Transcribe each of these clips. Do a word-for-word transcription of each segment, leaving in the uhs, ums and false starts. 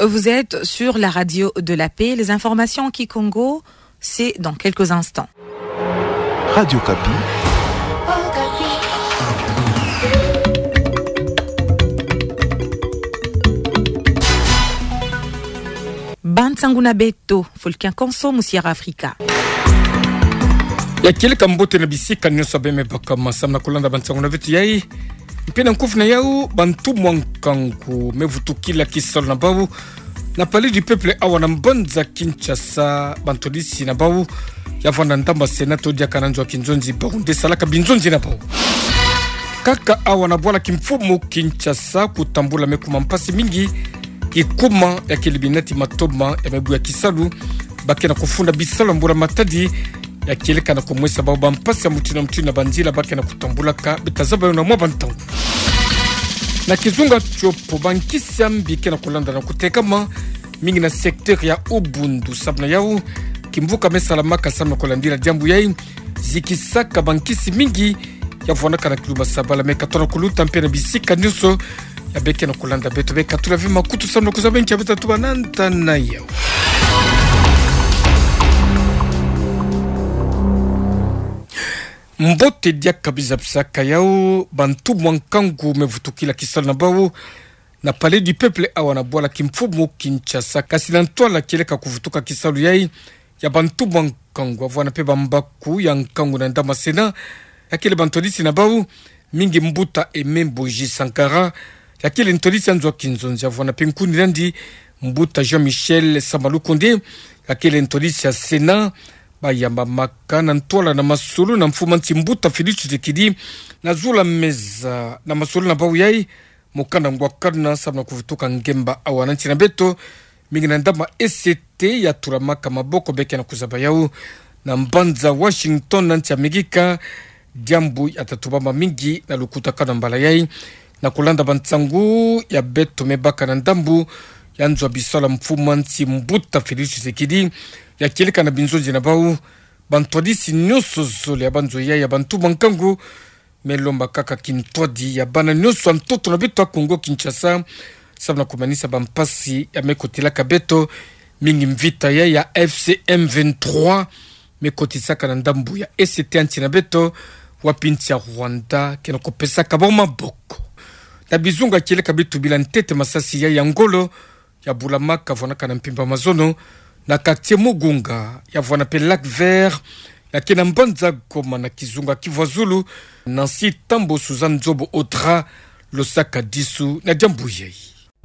Vous êtes sur la radio de la paix. Les informations en kikongo, c'est dans quelques instants. Radio Okapi. Bansangu na beto, fulu kia konso, musi ya Afrika. Ya kieleka mbote na bisika nyonso bima baka masamu na kulanda bansangu na beto yai. Mpe na nkufi na yau, bantu mwa nkangu me vutukila kisalu na bau na Palais du Peuple awa na mbanza Kinshasa, bantwadisi na bau ya vwanda ndamba Sénat to diaka na nzo ya kinzonzi bau nde salaka binzonzi na bau. Kaka awa na bwala kimfumu Kinshasa, kutambula me kuma mpasi mingi, kikuma ya kilibi nati matoma ya mebu ya kisalu, ba ke na kufunda bisalu ya mbula-matadi, ya kieleka na kumwesa bau bampasi ya mutindu na mutindu na banzila ba ke na kutambulaka, beta zaba yo na mwa bantangu. Na kizunga tiopo, bankisi ya mbi ke na kulanda na kutekama mingi na secteur ya Ubundu, sababu na yau kimvuka me salamaka samu na kulandila diambu yai, zikisaka bankisi mingi ya vwanaka na kiluba sabala, me katona kuluta mpe na bisika nyonso ya beke na kulanda beto, beka tula ve makutu samu na kuzaba nki ya beta tuba na nta na yau. Mbote diaka biza bisaka yau, bantu mwa nkangu me vutukila kisalu na bau na Palais du Peuple awa na bwala kimfumu Kinshasa. Kasi na ntwala kieleka kuvutuka kisalu yai ya bantu mwa nkangu, avwana mpe bambaku ya nkangu na ndamba Sénat, ya kele bantwadisi na bau, mingi mbuta Aimé Mboji Sankara, ya kele ntwadisi ya nzo ya kinzonzi, avwana mpe nkuni nandi, mbuta Jean-Michel Sama Lukonde, ya kele ntwadisi ya Sénat, bayambamaka na ntwala na masolo na mfumu a nsi mbuta Félix Tshisekedi, na zula meza na masolo na bau yai, mokanda ngwa kaduna samu na kuvutuka ngemba awa na nsi na beto, mingi na ndamba E C T ya tulamaka maboko, beke na kuzaba yau na mbanza Washington na nsi Amerika, diambu ya tatubama mingi na lukutakanu ya mbala yai, na kulanda bansangu ya beto me baka na ndambu ya nzo ya bisalu ya mfumu a nsi mbuta Félix Tshisekedi, ya kieleka na binzonzi na bau, bantwadisi nyonso zole ya banzo yai ya bantu mwa nkangu, me lomba kaka kintwadi ya bana nyonso ya ntoto na beto ya Kongo Kinshasa, samu na kumanisa bampasi ya me kotelaka beto, mingi mvita ya, ya F C M vingt-trois, me kotisaka na ndambu ya E C T ya nsi na beto, wapi nsi ya Rwanda ke na kupesaka bau maboko. Na bizunga kieleka beto bila ntete masasi ya, ya ngolo, ya bulamaka, vwanaka na mpimpa mazono, na quartier Mugunga, ya vwana mpe Lac Vert, ya ke na mbanza Goma na kizunga Kivu ya Zulu, Nancy Tambo Suzanne Nzobo Audra, losaka disu na diambu yai.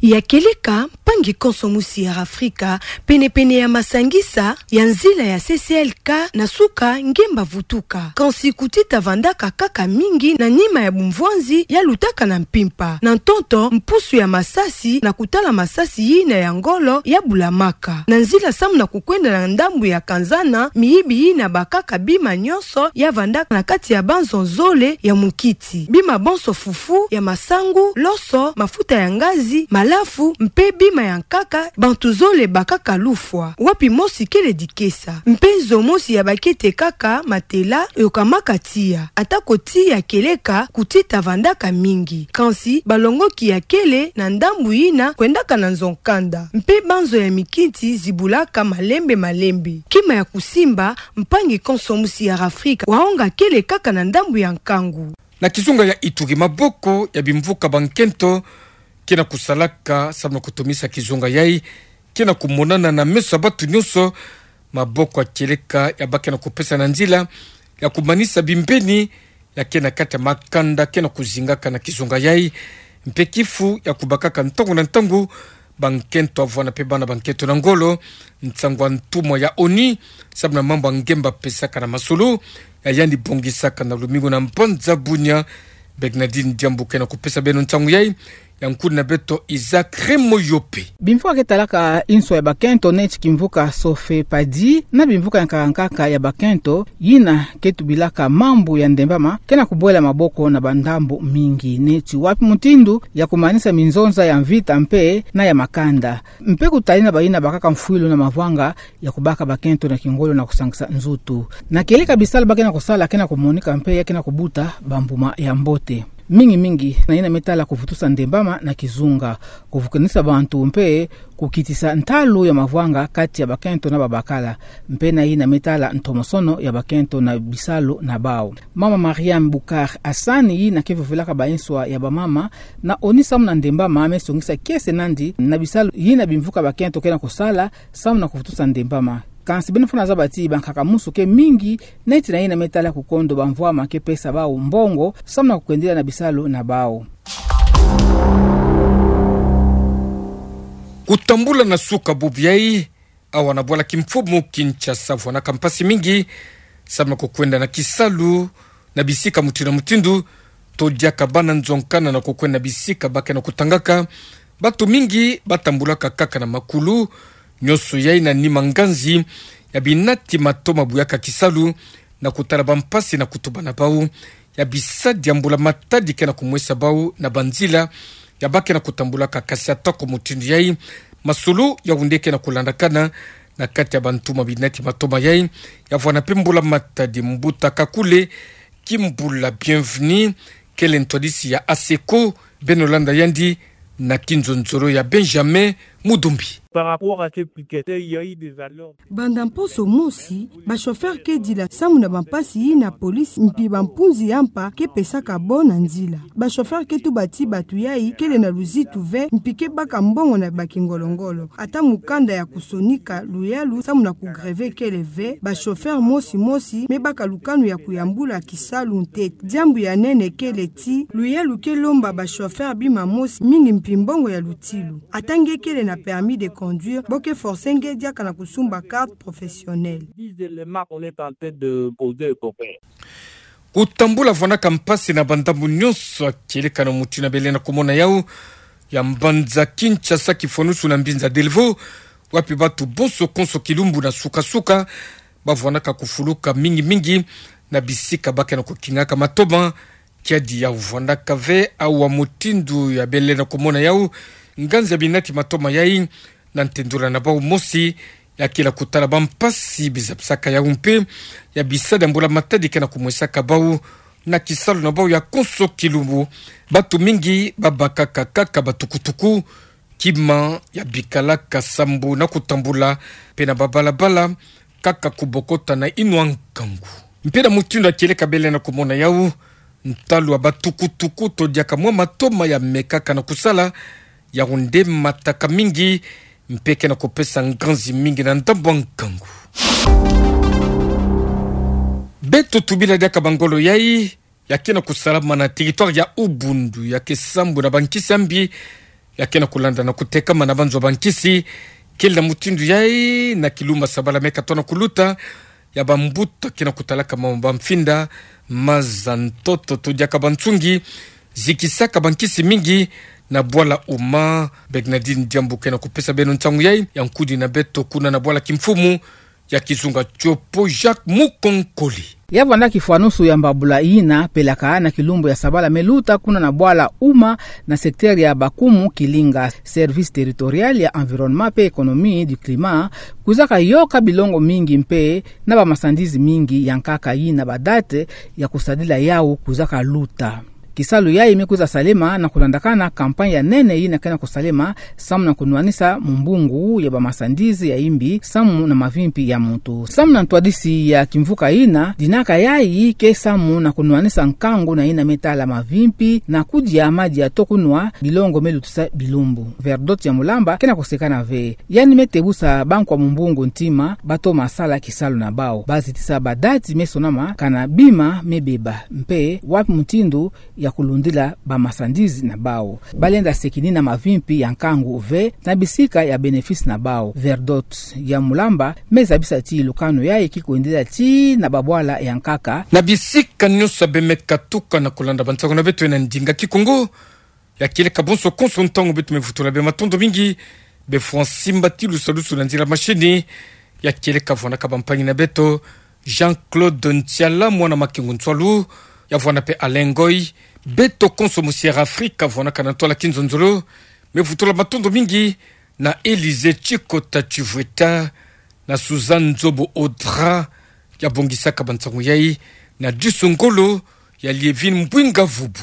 Ya kieleka, mpangi konso musi ya Afrika, pene-pene ya masangisa ya nzila ya C C L K na suka ngemba vutuka. Kansi kutita vandaka kaka mingi na nima ya bumvwanzi ya lutaka na mpimpa. Na ntonto, mpusu ya masasi na kutala masasi yina ya ngolo ya bulamaka na nzila samu na kukwenda na ndambu ya Kanzana, miyibi yina bakaka bima nyonso ya vandaka na kati ya banzo zole ya mukiti. Bima bonso fufu ya masangu, loso, mafuta ya ngazi, malafu, mpe bima ya nkaka, bantu zole bakaka lufwa. Wapi mosi kele dikesa. Mpe nzo mosi ya bakete kaka matela yokamaka tiya. Atako tiya kieleka, kutita vandaka mingi. Kansi, balongoki ya kele na ndambu yina kwendaka na nzo nkanda. Mpe banzo ya mikiti zibulaka malembe-malembe. Kima ya kusimba, mpangi konso musi ya Afrika, waonga kele kaka na ndambu ya nkangu. Na kizunga ya Ituri, maboko ya bimvuka bankento ke na kusalaka samu na kutomisa kizunga yai, ke na kumonana na meso ya bantu nyonso. Maboko ya kieleka ya ba ke na kupesa na nzila ya kumanisa bimbeni ya ke na kati ya makanda ke na kuzingaka na kizunga yai, mpe kifu ya kubakaka ntangu na ntangu bankento, avwana mpe bana bankento na ngolo. Nsangu ya ntumwa ya ONU samu na mambu ya ngemba pesaka na masolo, ya yandi bongisaka na lumingu na mbanza Bunia, Bernardine Diambu ke na kupesa beno nsangu yai, ya nkuni na beto Isaac Remoyope. Bimvuka ke talaka inswa ya bakento neti kimvuka Sofepadi na bimvuka ya nkaka-nkaka ya bakento, yina ke tubilaka mambu ya ndembama, ke na kubwela maboko na bandambu mingi neti wapi mutindu ya kumanisa minzonza ya mvita mpe na ya makanda, mpe kutali na bayina bakaka mfwilu na mavwanga ya kubaka bakento na kingolo na kusangisa nzutu. Na kieleka bisalu ba ke na kusala ke na kumonika mpe ya ke na kubuta bambuma ya mbote. Mingi mingi na yina me tala kuvutusa ndembama na kizunga, kuvukanisa bantu mpe kukitisa ntalu ya mavwanga kati ya bakento na babakala, mpe na yina me tala ntomosono ya bakento na bisalu na bau. Mama Mariam Bukar Hassan, yina ke vovelaka ba inswa ya bamama, na oni samu na ndembama me songisa kiese nandi na bisalu yina bimvuka bakento ke na kusala samu na kuvutusa ndembama. Kansi beno fwana zaba ti bankaka musu ke mingi neti na yina me tala kukondo bamvwama ke pesa bau mbongo samu na kukwendila na bisalu na bau. Kutambula na suka bubu yai, awa na bwala kimfumu Kinshasa vwanaka mpasi mingi samu na kukwenda na kisalu na bisika mutindu na mutindu. To diaka bana nzonkana na kukwenda na bisika ba ke na kutangaka, batu mingi batambulaka kaka na makulu, nyonso yai na nima nganzi ya binati matoma buyaka kisalu na kutala bampasi na kutuba na bau ya bisadi ya mbula matadi ke na kumwesa bau na banzila ya ba ke na kutambulaka. Kasi atako mutindu yai, masolo ya wunde ke na kulandakana na kati ya bantu ma binati matoma yai, ya vwana mpe mbula matadi. Mbuta Kakule Kimbula Bienvenu, kele ntwadisi ya ASECO, beno landa yandi na kinzonzolo ya Benjamin Mudumbi. Par rapport à ces piquets, il y a eu des alertes. Banda mposo mosi, ba chauffeur ke dila samu na bampasi yina police mpi bampunzi ya mpa ke pesaka bo na nzila. Ba chauffeur ke tuba ti batu yai kele na luzitu ve mpi ke baka mbongo na bakingolongolo. Ata mukanda ya kusonika luyalu samu na kugreve kele ve, ba chauffeur mosi mosi me baka lukanu ya kuyambula kisalu ntete. Diambu ya nene kele ti luyalu ke lomba ba chauffeur bima mosi mingi mpi mbongo ya lutilu. Ata nge kele na permis de conduire, bo ke forcer nge diaka na kusumba carte professionnelle. Dix éléments qu'on est en train de poser au copain. Kutambula vwanaka mpasi na bandambu nyonso ya kieleka na mutindu bele na kumona yau, ya mbanza Kinshasa kifwanusu na mbinza Delvaux, wapi batu bonso konso kilumbu na suka-suka ba vwanaka kufuluka mingi-mingi na bisika ba ke na kukingaka matoma. Kiadi ya vwanaka ve awa mutindu ya bele na kumona yau, nganzi ya binati matoma yai, na ntendula na bau mosi, ya kila kutala bampasi bizapisaka yau mpe ya bisadi ya mbula matadi ke na kumwesaka bau na kisalu na bau ya konso kilumbu. Batu mingi babakaka kaka batukutuku, kima ya bikalaka sambu na kutambula, mpe na babalabala, kaka kubokota na inwa nkangu. Mpe na mutindu ya kieleka bele na kumona yau, ntalu ya batukutuku to diaka mwa matoma ya mekaka na kusala, yau nde mataka mingi, mpe ke na kupesa nganzi mingi na ndambu ya nkangu. Beto tubila diaka bangolo yai, ya ke na kusalama na territoire ya Ubundu, ya ke sambu na bankisi ya mbi, ya ke na kulanda na kutekama na banzo bankisi. Kele na mutindu yai, na kilumbu ya sabala me katoa na kuluta, ya bambuta ke na kutalaka mama bamfinda, maza, ntoto to diaka bansungi, zikisaka bankisi mingi na bwala Uma. Bernardine Diambu ke na kupesa beno nsangu yai, ya nkudi na beto kuna na bwala kimfumu ya kizunga tiopo Jacques Mukonkole. Ya vwanda kifwanusu ya mbabula yina pelaka na kilumbu ya sabala me luta kuna na bwala Uma na secteur ya Bakumu Kilinga, service territorial ya environnement mpe économie du climat, kwizaka yoka bilongo mingi mpe na bamarchandises mingi ya nkaka yina ba dates ya kusadila yau kwizaka luta. Kisalu yai me kwiza salema na kulandakana campagne ya nene yina ke na kusalema samu na kunwanisa mumbungu ya bamarchandises ya imbi samu na mavimpi ya muntu. Samu na ntwadisi ya kimvuka yina, dinaka yai ke samu na kunwanisa nkangu na yina me tala mavimpi na kudia madia to kunwa bilongo me lutisa bilumbu. Verdot ya Mulamba ke na kusekana ve. Yandi me tebusa bankwa mumbungu ntima batoma sala kisalu na bau. Bazitisa ba dates me sonama kana bima me beba, mpe wapi mutindu ya kulundila bamarchandises na bau. Balenda sekinina mavimpi ya nkangu ve na bisika ya bénéfice na bau. Verdot ya Mulamba me zabisa ti lukanu yai ki kwendela tii na babwala ya nkaka. Na bisika nyonso beno me katuka na kulanda bansangu na beto na ndinga Kikongo, ya kieleka bonso konso ntangu beto me vutula beno matondo mingi. Be Francis Mbati Lusalusu na nzila machine, ya kieleka vwanaka bampangi na beto, Jean-Claude Ntiala, mwana Makengo Ntsualu, ya vwana mpe Alain Ngoy. Beto konso mu Sierra Africa vwanaka na ntwala kinzonzolo, me vutula matondo mingi na Élysée Tshikota Tshivweta, na Suzanne Nzobo Audra, ya bongisaka bansangu yai, na Disu Ngolo, ya Lievine Mbwinga Vubu.